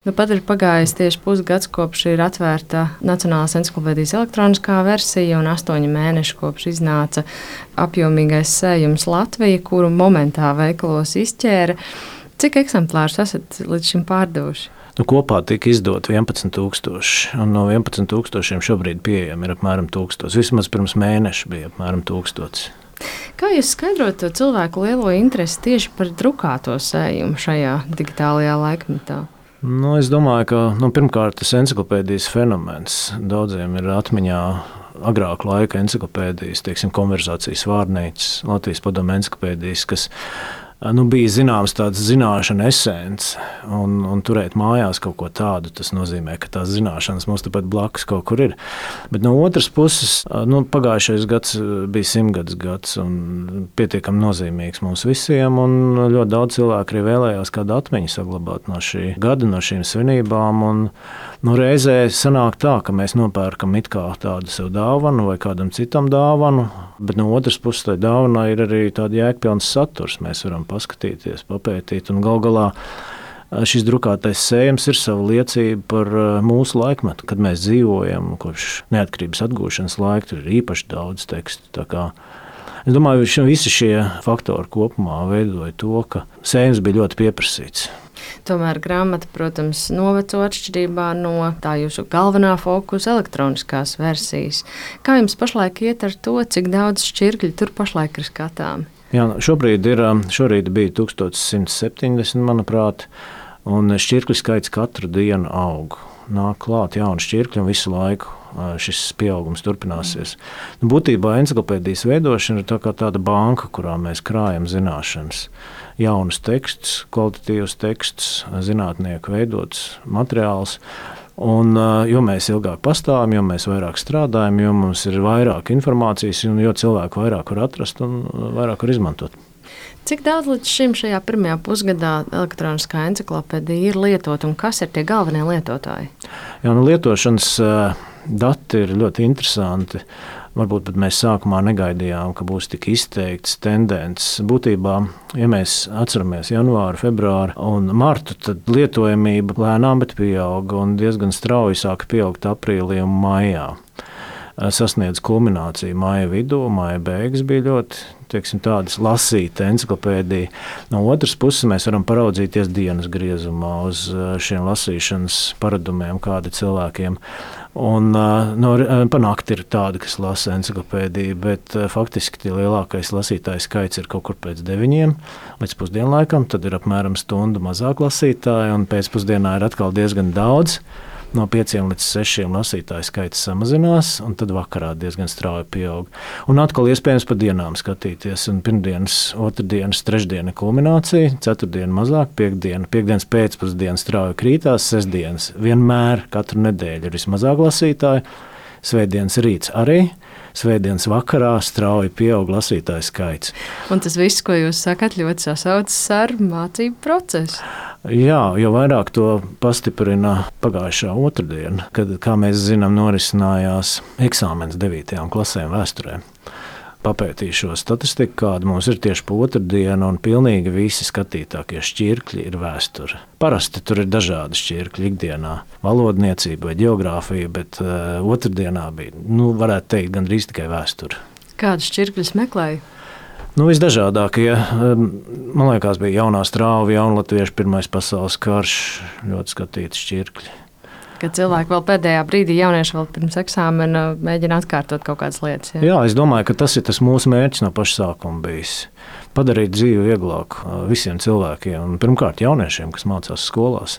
Nu, pat ir pagājis tieši pusgads, kopš ir atvērta Nacionālās enciklopēdijas elektroniskā versija un 8 mēneši kopš iznāca apjomīgais sējums Latvija, kuru momentā veikalos izķēra. Cik eksemplārus esat līdz šim pārdevuši? Kopā tika izdot 11,000, un no 11,000 šobrīd pieejami ir apmēram 1,000. Vismaz pirms mēneša bija apmēram 1,000. Kā jūs skaidrot to cilvēku lielo interesi tieši par drukāto sējumu šajā digitālajā laikmetā? Es domāju, ka pirmkārt tas enciklopēdijas fenomens daudziem ir atmiņā agrāku laika enciklopēdijas, konverzācijas vārnīcas, Latvijas padomu enciklopēdijas, kas bija zināms tāds zināšana esence, un turēt mājās kaut ko tādu, tas nozīmē, ka tās zināšanas mums tepat blakus kaut kur ir. Bet no otras puses, pagājušais gads bija 100. gads un pietiekami nozīmīgs mums visiem, un ļoti daudz cilvēku arī vēlējās kādu atmiņu saglabāt no šī gada, no šīm svinībām, un reizē sanāk tā, ka mēs nopērkam it kā tādu sev dāvanu vai kādam citam dāvanu, bet no otras puses tai dāvanai ir arī tāda jēgpilns saturs. Mēs varam paskatīties, papētīt, un gal galā šis drukātais sējums ir sava liecība par mūsu laikmetu, kad mēs dzīvojam kopš neatkarības atgūšanas laika. Tur ir īpaši daudz tekstu. Tā kā es domāju, ka visi šie faktori kopumā veidoja to, ka sējums bija ļoti pieprasīts. Tomēr grāmata, protams, noveco atšķirībā no tā jūsu galvenā fokusa elektroniskās versijas. Kā jums pašlaik iet ar to, cik daudz šķirkļu tur pašlaik ir skatāmi? Jā, šorīt bija 1170, manuprāt, un šķirkļu skaits katru dienu aug. Nāk klāt jauni šķirkļi, un visu laiku šis pieaugums turpināsies. Būtībā enciklopēdijas veidošana ir tāda banka, kurā mēs krājam zināšanas. Jaunus tekstus, kvalitatīvus tekstus, zinātnieku veidots materiāls. Un, jo mēs ilgāk pastāvam, jo mēs vairāk strādājam, jo mums ir vairāk informācijas, un jo cilvēku vairāk var atrast un vairāk var izmantot. Cik daudz līdz šim šajā pirmajā pusgadā elektroniskā enciklopēdija ir lietot, un kas ir tie galvenie lietotāji? Jā, lietošanas dati ir ļoti interesanti. Varbūt pat mēs sākumā negaidījām, ka būs tik izteikts tendences. Būtībā, ja mēs atceramies janvāru, februāru un martu, tad lietojamība lēnām, bet pieauga un diezgan strauji sāka pieaugt aprīlī un maijā. Sasniedz kulmināciju maija vidū, maija beigas bija ļoti tādas lasīta enciklopēdija. No otras puses mēs varam paraudzīties dienas griezumā uz šiem lasīšanas paradumiem, kādi cilvēkiem. Un pa nakti ir tādi, kas lasa enciklopēdiju, bet faktiski lielākais lasītāju skaits ir kaut kur pēc 9 līdz pusdienlaikam, tad ir apmēram stundu mazāk lasītāju, un pēcpusdienā ir atkal diezgan daudz. No 5 līdz 6 lasītāju skaits samazinās, un tad vakarā diezgan strauji pieaug. Un atkal iespējams pa dienām skatīties. Un pirmdienas, otrdienas, trešdiena kulminācija, ceturtdiena mazāk, piekdienas pēcpusdiena strauji krītās, sestdienas vienmēr katru nedēļu ir vismazāk lasītāju, svētdienas rīts arī. Svētdienas vakarā strauji pieaug lasītāju skaits. Un tas viss, ko jūs sakat, ļoti sasaucas ar mācību procesu. Jā, jo vairāk to pastiprina pagājušā otrdiena, kad, kā mēs zinām, norisinājās eksāmens 9. klasēm vēsturē. Papētīju šo statistiku, kāda mums ir tieši pa otrdienu, un pilnīgi visi skatītākie šķirkļi ir vēsture. Parasti tur ir dažādi šķirkļi ikdienā, valodniecība vai ģeogrāfija, bet otrdienā bija, varētu teikt, gandrīz tikai vēsture. Kādus šķirkļus meklēju? Visdažādākie. Man liekas, bija jaunā strāva, jaunatviešu Pirmais pasaules karš, ļoti skatīti šķirkļi. Kad cilvēki vēl pēdējā brīdī, jaunieši vēl pirms eksāmena mēģina atkārtot kaut kādas lietas. Jā, es domāju, ka tas ir tas mūsu mērķis no paša sākuma bijis. Padarīt dzīvi vieglāku visiem cilvēkiem, un pirmkārt jauniešiem, kas mācās skolās.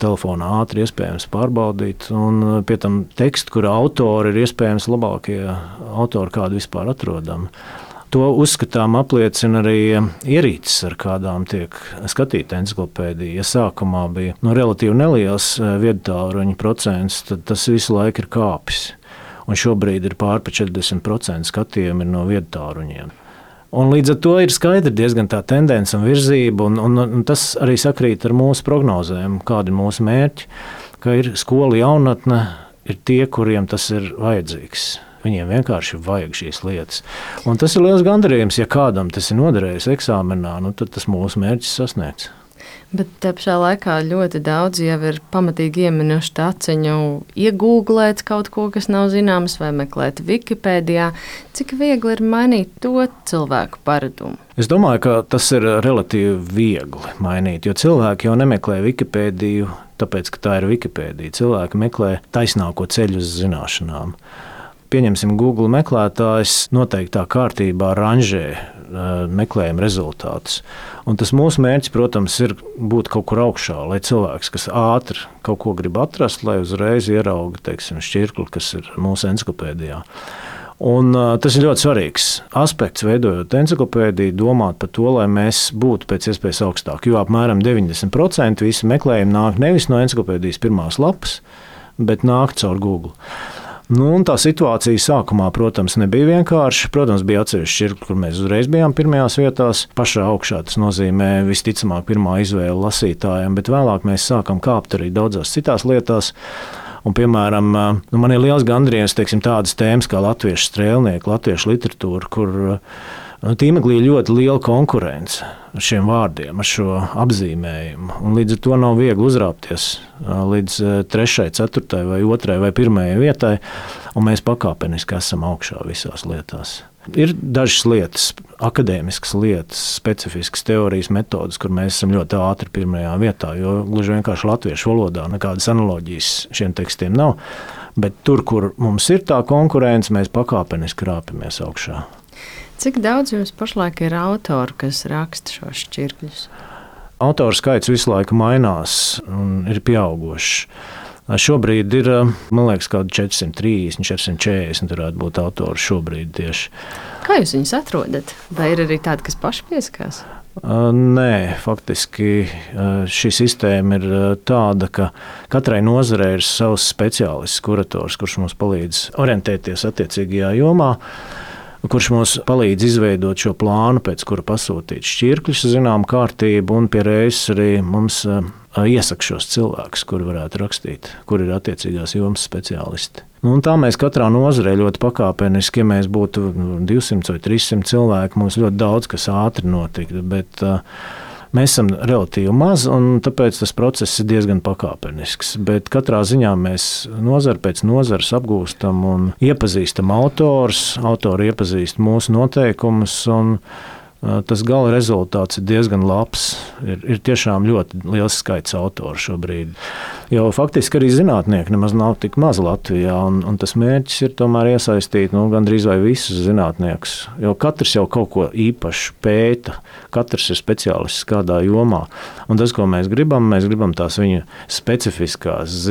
Telefonā ātri iespējams pārbaudīt, un pie tam tekstu, kura autori ir iespējams labākie autori, kādi vispār atrodami. To uzskatām apliecina arī ierīces, ar kādām tiek skatīta enciklopēdija. Ja sākumā bija relatīvi neliels viedtālruņu procents, tad tas visu laiku ir kāpis. Un šobrīd ir pār 40% skatījumi no viedtālruņiem. Un līdz ar to ir skaidri diezgan tā tendence un virzība, un tas arī sakrīt ar mūsu prognozēm, kādi ir mūsu mērķi, ka ir skola jaunatne, ir tie, kuriem tas ir vajadzīgs. Viņiem vienkārši vajag šīs lietas. Un tas ir liels gandarījums, ja kādam tas ir noderējis eksāmenā, tad tas mūsu mērķis sasniegts. Bet te pašā laikā ļoti daudz jau ir pamatīgi ieminuši taciņu iegūglēt kaut ko, kas nav zināms, vai meklēt Wikipēdijā. Cik viegli ir mainīt to cilvēku paradumu? Es domāju, ka tas ir relatīvi viegli mainīt, jo cilvēki jau nemeklē Wikipēdiju, tāpēc, ka tā ir Wikipēdija. Cilvēki meklē taisnāko ceļu uz zināšanām. Pieņemsim, Google meklētājs noteiktā kārtībā ranžē meklējuma rezultātus. Un tas mūsu mērķis, protams, ir būt kaut kur augšā, lai cilvēks, kas ātri kaut ko grib atrast, lai uzreiz ierauga, teiksim, šķirkli, kas ir mūsu enciklopēdijā. Un tas ir ļoti svarīgs aspekts, veidojot enciklopēdiju, domāt par to, lai mēs būtu pēc iespējas augstāk. Jo apmēram 90% visi meklējumi nāk nevis no enciklopēdijas pirmās lapas, bet nāk caur Google. Tā situācija sākumā, protams, nebija vienkārša. Protams, bija atsevišķi šķirkļi, kur mēs uzreiz bijām pirmajās vietās. Pašā augšā tas nozīmē visticamāk pirmā izvēle lasītājiem, bet vēlāk mēs sākam kāpt arī daudzās citās lietās. Un, piemēram, man ir liels gandrījums, tādas tēmas kā latviešu strēlnieki, latviešu literatūra, kur tīmeklī ir ļoti liela konkurence ar šiem vārdiem, ar šo apzīmējumu. Un līdz ar to nav viegli uzrāpties līdz 3., 4. vai 2. vai 1. vietai, un mēs pakāpeniski esam augšā visās lietās. Ir dažas lietas, akadēmiskas lietas, specifiskas teorijas metodas, kur mēs esam ļoti ātri pirmajā vietā, jo gluži vienkārši latviešu valodā nekādas analoģijas šiem tekstiem nav. Bet tur, kur mums ir tā konkurence, mēs pakāpeniski rāpamies augšā. Cik daudz jums pašlaik ir autori, kas raksta šos šķirkļus? Autoru skaits visu laiku mainās un ir pieaugošs. Šobrīd ir, man liekas, kādi 430, 440 varētu būt autori šobrīd tieši. Kā jūs viņus atrodat? Vai ir arī tādi, kas paši pieskās? Nē, faktiski šī sistēma ir tāda, ka katrai nozarei ir savs speciālists, kurators, kurš mums palīdz orientēties attiecīgajā jomā, kurš mums palīdz izveidot šo plānu, pēc kura pasūtīt šķirkļus, zinām kārtību, un pie reizes arī mums iesaka šos cilvēkus, kuri varētu rakstīt, kur ir attiecīgās jomas speciālisti. Un tā mēs katrā nozarē ļoti pakāpeniski, ja mēs būtu 200 vai 300 cilvēki, mums ļoti daudz kas ātri notiktu, bet mēs esam relatīvi maz, un tāpēc tas process ir diezgan pakāpenisks. Bet katrā ziņā mēs nozari pēc nozares apgūstam un iepazīstam autors, autori iepazīst mūsu noteikumus, un tas gala rezultāts ir diezgan labs. Ir tiešām ļoti liels skaits autoru šobrīd. Jo faktiski arī zinātnieki nemaz nav tik maz Latvijā, un tas mērķis ir tomēr iesaistīt gandrīz vai visus zinātniekus. Jo katrs jau kaut ko īpašu pēta, katrs ir speciālists kādā jomā. Un tas, ko mēs gribam tās viņa specifiskās,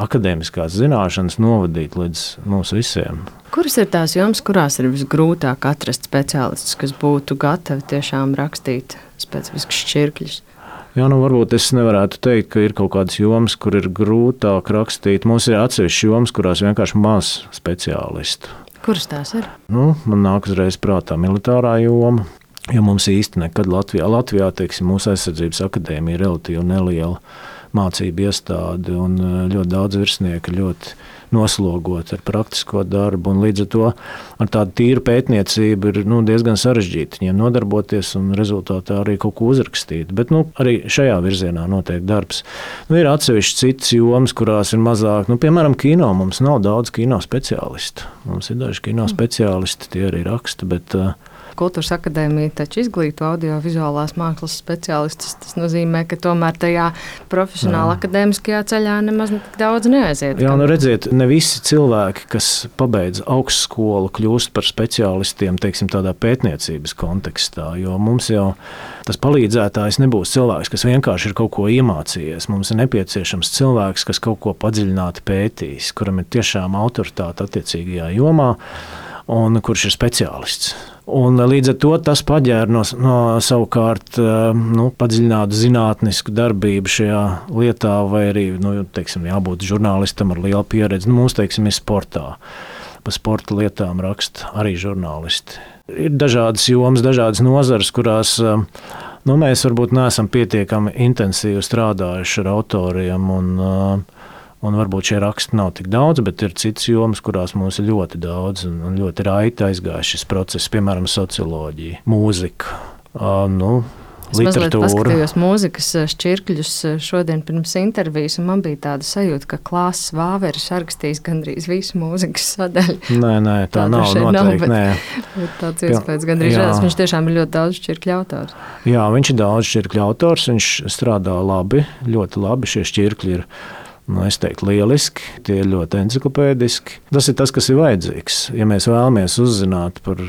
akadēmiskās zināšanas novadīt līdz mums visiem. Kuras ir tās jomas, kurās ir visgrūtāk atrast speciālistus, kas būtu gatavi tiešām rakstīt specifiskus šķirkļus? Jā, varbūt es nevarētu teikt, ka ir kaut kādas jomas, kur ir grūtāk rakstīt. Mums ir atsevišķas jomas, kurās vienkārši maz speciālistu. Kuras tās ir? Man nāk uzreiz prātā militārā joma, jo mums īsti nekad Latvijā teiksim, mūsu aizsardzības akadēmija ir relatīvi neliela mācību iestāde, un ļoti daudz virsnieku ļoti noslogot ar praktisko darbu, un līdz ar to ar tādu tīru pētniecību ir diezgan sarežģīti viņiem nodarboties un rezultātā arī kaut ko uzrakstīt. Bet arī šajā virzienā notiek darbs. Ir atsevišķi citas jomas, kurās ir mazāk. Piemēram, kino mums nav daudz kino speciālistu. Mums ir daži kino speciālisti, tie arī raksta, bet Kultūras akadēmija taču izglīto audiovizuālās mākslas speciālistus. Tas nozīmē, ka tomēr tajā profesionāli akadēmiskajā ceļā nemaz tik daudz neaiziet. Jā, redziet, ne visi cilvēki, kas pabeidz augstskolu, kļūst par speciālistiem, teiksim, tādā pētniecības kontekstā, jo mums jau tas palīdzētājs nebūs cilvēks, kas vienkārši ir kaut ko iemācījies. Mums ir nepieciešams cilvēks, kas kaut ko padziļināti pētīs, kuram ir tiešām autoritāte attiecīgajā jomā un kurš ir speciālists. Un līdz ar to tas paģēra no savukārt padziļinātu zinātnisku darbību šajā lietā, vai arī teiksim, jābūt žurnālistam ar lielu pieredzi. Mums teiksim, ir sportā. Pa sporta lietām raksta arī žurnālisti. Ir dažādas jomas, dažādas nozares, kurās mēs varbūt neesam pietiekami intensīvi strādājuši ar autoriem, un varbūt šie raksti nav tik daudz, bet ir citas jomas, kurās mums ir ļoti daudz un ļoti raiti aizgājis šis process, piemēram, socioloģija, mūzika. Es mazliet paskatījos mūzikas šķirkļus šodien pirms intervijas, un man bija tāda sajūta, ka Klāsts Vāveris rakstījis gandrīz visu mūzikas sadaļu. Nē, tā nav noteikti. Bet tāds iespējas gandrīz redzams. Viņš tiešām ir ļoti daudz šķirkļu autors. Jā, viņš ir daudz šķirkļu autors, viņš strādā labi, ļoti labi. Šie šķirkļi ir, es teiktu, lieliski, tie ir ļoti enciklopēdiski. Tas ir tas, kas ir vajadzīgs. Ja mēs vēlamies uzzināt par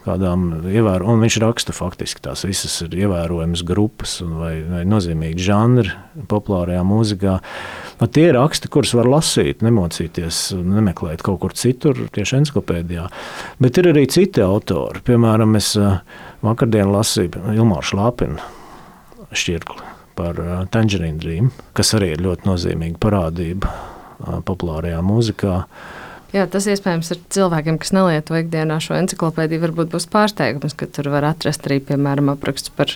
kādām ievērojumiem, un viņš raksta faktiski tās visas ir ievērojamas grupas vai nozīmīgi žanri populārajā mūzikā. Tie ir raksti, kurus var lasīt, nemocīties, nemeklēt kaut kur citur, tieši enciklopēdijā. Bet ir arī citi autori. Piemēram, es vakardien lasīju Ilmāru Šlāpinu šķirkli par Tangerine Dream, kas arī ir ļoti nozīmīga parādība populārajā mūzikā. Jā, tas iespējams ir cilvēkiem, kas nelieto ikdienā šo enciklopēdiju, varbūt būs pārsteigums, ka tur var atrast arī, piemēram, apraksts par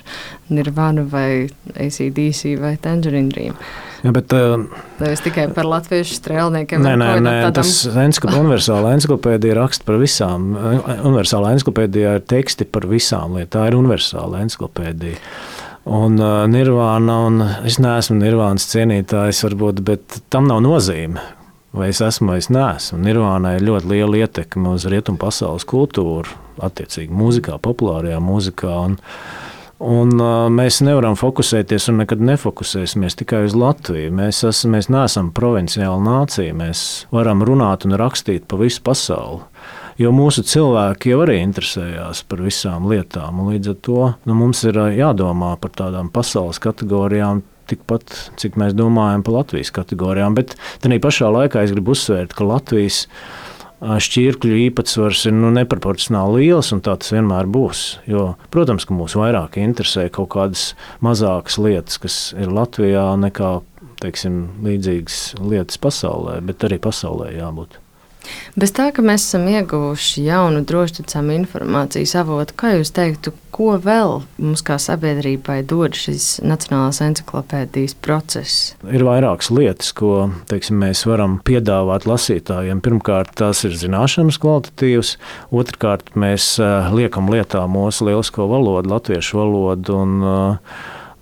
Nirvanu vai AC/DC vai Tangerine Dream. Jā, bet es tikai par latviešu strēlniekiem. Nē, tas universāla enciklopēdija raksta par visām. Universālā enciklopēdijā ir teksti par visām lietām. Tā ir universāla enciklopēdija. Un Nirvana, un es neesmu Nirvānas cienītājs varbūt, bet tam nav nozīme. Vai es esmu, vai es neesmu. Nirvānai ir ļoti liela ietekme uz rietumu pasaules kultūru, attiecīgi mūzikā, populārajā mūzikā. Un mēs nevaram fokusēties un nekad nefokusēsimies tikai uz Latviju. Mēs neesam provinciāla nācija. Mēs varam runāt un rakstīt pa visu pasauli. Jo mūsu cilvēki jau arī interesējās par visām lietām. Līdz ar to mums ir jādomā par tādām pasaules kategorijām, tikpat, cik mēs domājam par Latvijas kategorijām. Bet tādā pašā laikā es gribu uzsvērt, ka Latvijas šķirkļu īpatsvars ir neproporcionāli liels, un tā tas vienmēr būs. Jo, protams, ka mūs vairāk interesē kaut kādas mazākas lietas, kas ir Latvijā, nekā, teiksim, līdzīgas lietas pasaulē, bet arī pasaulē jābūt. Bez tā, ka mēs esam ieguvuši jaunu drošticami informācijas avotu, kā jūs teiktu, ko vēl mums kā sabiedrībai dod šis Nacionālās enciklopēdijas process? Ir vairākas lietas, ko, teiksim, mēs varam piedāvāt lasītājiem. Pirmkārt, tās ir zināšanas kvalitatīvas. Otrkārt, mēs liekam lietā mūsu lielisko valodu, latviešu valodu, un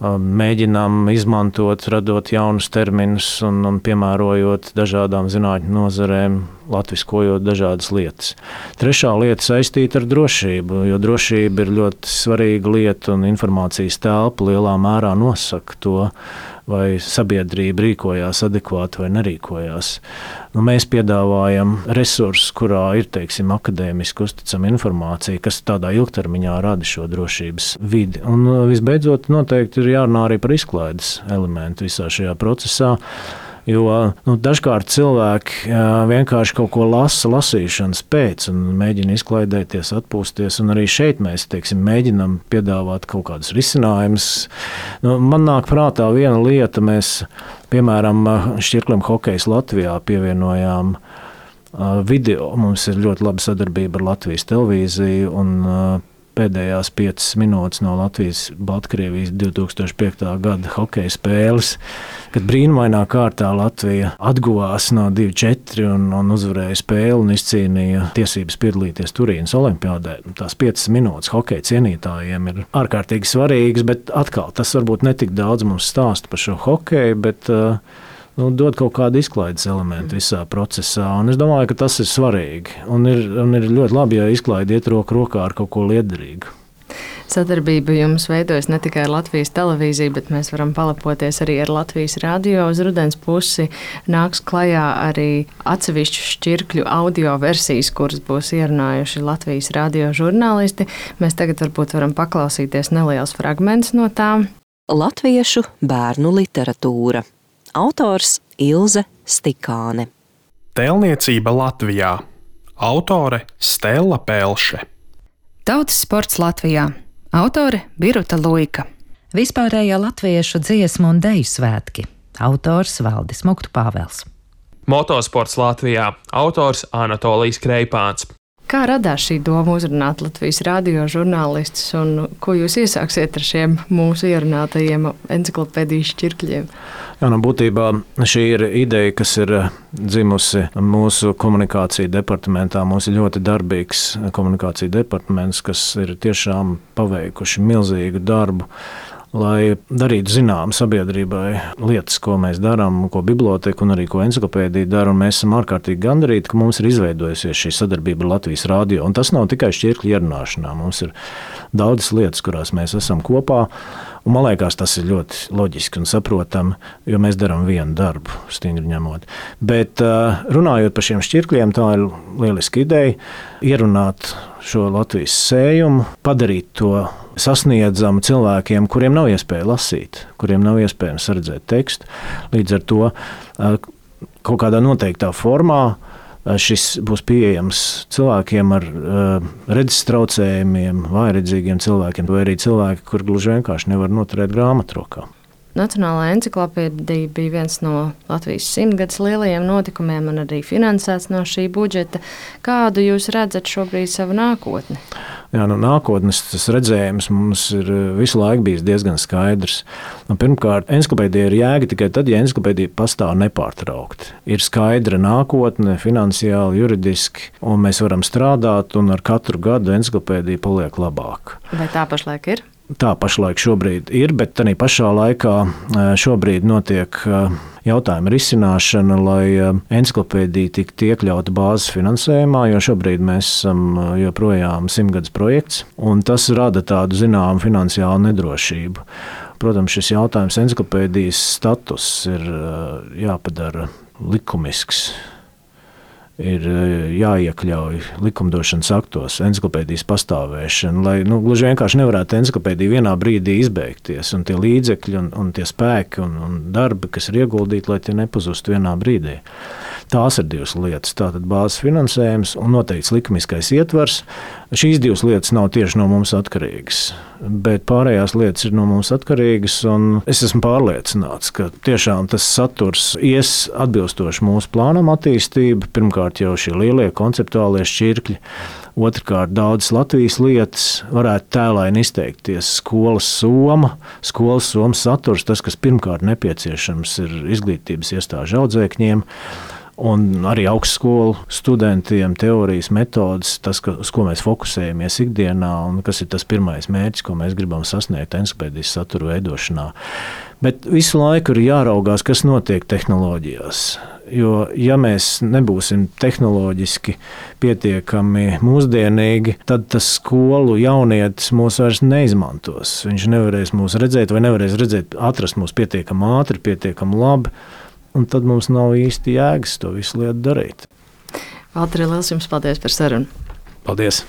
mēģinām izmantot, radot jaunus terminus un piemērojot dažādām zinātņu nozarēm, latviskojot dažādas lietas. Trešā lieta saistīta ar drošību, jo drošība ir ļoti svarīga lieta un informācijas telpa lielā mērā nosaka to, vai sabiedrība rīkojās adekvāti vai nerīkojās. Mēs piedāvājam resursus, kurā ir, teiksim, akadēmiski uzticama informācija, kas tādā ilgtermiņā rada šo drošības vidi. Un visbeidzot, noteikti ir jārunā arī par izklaides elementu visā šajā procesā. Jo dažkārt cilvēki vienkārši kaut ko lasīšanas pēc un mēģina izklaidēties, atpūsties. Un arī šeit mēs, teiksim, mēģinam piedāvāt kaut kādus risinājumus. Man nāk prātā viena lieta, mēs, piemēram, šķirklim Hokejs Latvijā pievienojām video. Mums ir ļoti laba sadarbība ar Latvijas televīziju un pēdējās 5 minūtes no Latvijas-Baltkrievijas 2005. gada hokeja spēles, kad brīnumainā kārtā Latvija atguvās no 2-4 un uzvarēja spēli un izcīnīja tiesības piedalīties Turīnas olimpiādē. Tās 5 minūtes hokeja cienītājiem ir ārkārtīgi svarīgas, bet atkal tas varbūt netik daudz mums stāsta par šo hokeju, bet dod kaut kādu izklaides elementu visā procesā. Un es domāju, ka tas ir svarīgi. Un ir ļoti labi, ja izklaide iet roku rokā ar kaut ko liederīgu. Sadarbība jums veidojas ne tikai ar Latvijas televīziju, bet mēs varam palepoties arī ar Latvijas radio. Uz rudens pusi nāks klajā arī atsevišķu šķirkļu audio versijas, kuras būs ierunājuši Latvijas radio žurnālisti. Mēs tagad varbūt varam paklausīties neliels fragments no tām. Latviešu bērnu literatūra. Autors Ilze Stikāne. Tēlniecība Latvijā. Autore Stella Pelše. Tautas sports Latvijā. Autore Biruta Luika. Vispārējā latviešu dziesmu un deju svētki. Autors Valdis Muktu Pāvels. Motosports Latvijā. Autors Anatolijs Kreipāns. Kā radās šī doma uzrunāt Latvijas radio žurnālistus un ko jūs iesāksiet ar šiem mūsu ierunātajiem enciklopēdijas šķirkļiem? Jā, būtībā šī ir ideja, kas ir dzimusi mūsu komunikācija departamentā. Mums ir ļoti darbīgs komunikācija departaments, kas ir tiešām paveikuši milzīgu darbu, lai darītu zinām sabiedrībai lietas, ko mēs darām, ko biblioteka un arī ko enciklopēdija dara. Mēs esam ārkārtīgi gandarīti, ka mums ir izveidojusies šī sadarbība ar Latvijas radio. Un tas nav tikai šķirkļu ierunāšanā. Mums ir daudzas lietas, kurās mēs esam kopā. Un man liekas, tas ir ļoti loģiski un saprotami, jo mēs darām vienu darbu, stingri ņemot. Bet runājot par šiem šķirkļiem, tā ir lieliska ideja ierunāt šo Latvijas sējumu, padarīt to sasniedzamu cilvēkiem, kuriem nav iespēja lasīt, kuriem nav iespējams redzēt tekstu. Līdz ar to kaut kādā noteiktā formā šis būs pieejams cilvēkiem ar redzes traucējumiem, vājredzīgiem cilvēkiem, vai arī cilvēki, kur gluži vienkārši nevar noturēt grāmatu rokā. Nacionālā enciklopēdija bija viens no Latvijas 100-gadus lielajiem notikumiem un arī finansēts no šī budžeta. Kādu jūs redzat šobrīd savu nākotni? Jā, nākotnes tas redzējums mums ir visu laiku bijis diezgan skaidrs. Pirmkārt, enciklopēdija ir jēga tikai tad, ja enciklopēdija pastāv nepārtraukti. Ir skaidra nākotne, finansiāli, juridiski, un mēs varam strādāt, un ar katru gadu enciklopēdija paliek labāk. Vai tā pašlaik ir? Tā pašlaik šobrīd ir, bet arī pašā laikā šobrīd notiek jautājuma risināšana, lai enciklopēdija tiktu iekļauta bāzes finansējumā, jo šobrīd mēs esam joprojām 100-gadus projekts, un tas rada tādu zināmu finansiālu nedrošību. Protams, šis jautājums enciklopēdijas status ir jāpadara likumisks. Ir jāiekļauj likumdošanas aktos enciklopēdijas pastāvēšana, lai gluži vienkārši nevarētu enciklopēdija vienā brīdī izbeigties, un tie līdzekļi un tie spēki un darbi, kas ir ieguldīti, lai tie nepazustu vienā brīdī. Tās ir divas lietas. Tātad bāzes finansējums un noteikts likumiskais ietvers. Šīs divas lietas nav tieši no mums atkarīgas, bet pārējās lietas ir no mums atkarīgas, un es esmu pārliecināts, ka tiešām tas saturs ies atbilstoši mūsu plānam attīstība. Pirmkārt jau šie lielie konceptuālie šķirkļi, otrkārt daudzas Latvijas lietas varētu tēlaini izteikties. Skolas soma saturs, tas, kas pirmkārt nepieciešams ir izglītības iestāžu audzēkņiem, un arī augstskolu studentiem teorijas metodas, tas, uz ko mēs fokusējamies ikdienā un kas ir tas pirmais mērķis, ko mēs gribam sasniegt enciklopēdijas satura veidošanā. Bet visu laiku ir jāraugās, kas notiek tehnoloģijās. Jo, ja mēs nebūsim tehnoloģiski pietiekami mūsdienīgi, tad tas skolu jaunietis mūs vairs neizmantos. Viņš nevarēs mūs redzēt vai nevarēs atrast mūs pietiekami ātri, pietiekami labi. Un tad mums nav īsti jēgas to visu lietu darīt. Valteri, liels jums paldies par sarunu. Paldies!